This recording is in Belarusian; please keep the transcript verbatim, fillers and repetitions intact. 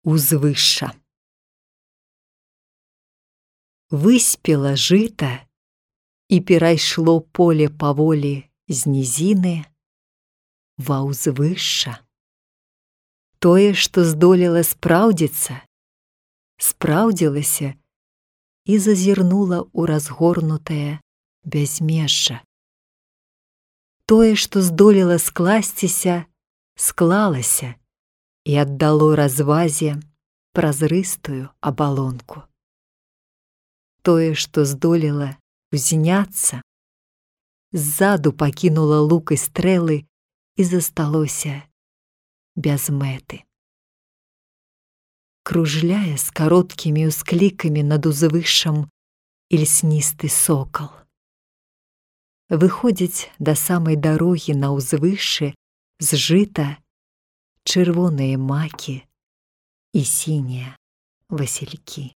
Узвышша. Выспела жыта, і перайшло поле паволі з нізіны ва ўзвышша. Тое, што здолела спраўдзіцца, спраўдзілася і зазірнула ў разгорнутае бязмежжа. Тое, што здолела скласціся, склалася і аддало развазе празрыстую абалонку. Тое, што здолела узняцца, ззаду пакінула лук і стрэлы і засталося без мэты. Кружляе з кароткімі ўсклікамі над узвышшам ільсністы сокал. Выходзіць да самай дарогі на ўзвышшы з жыта чырвоныя макі і сінія васількі.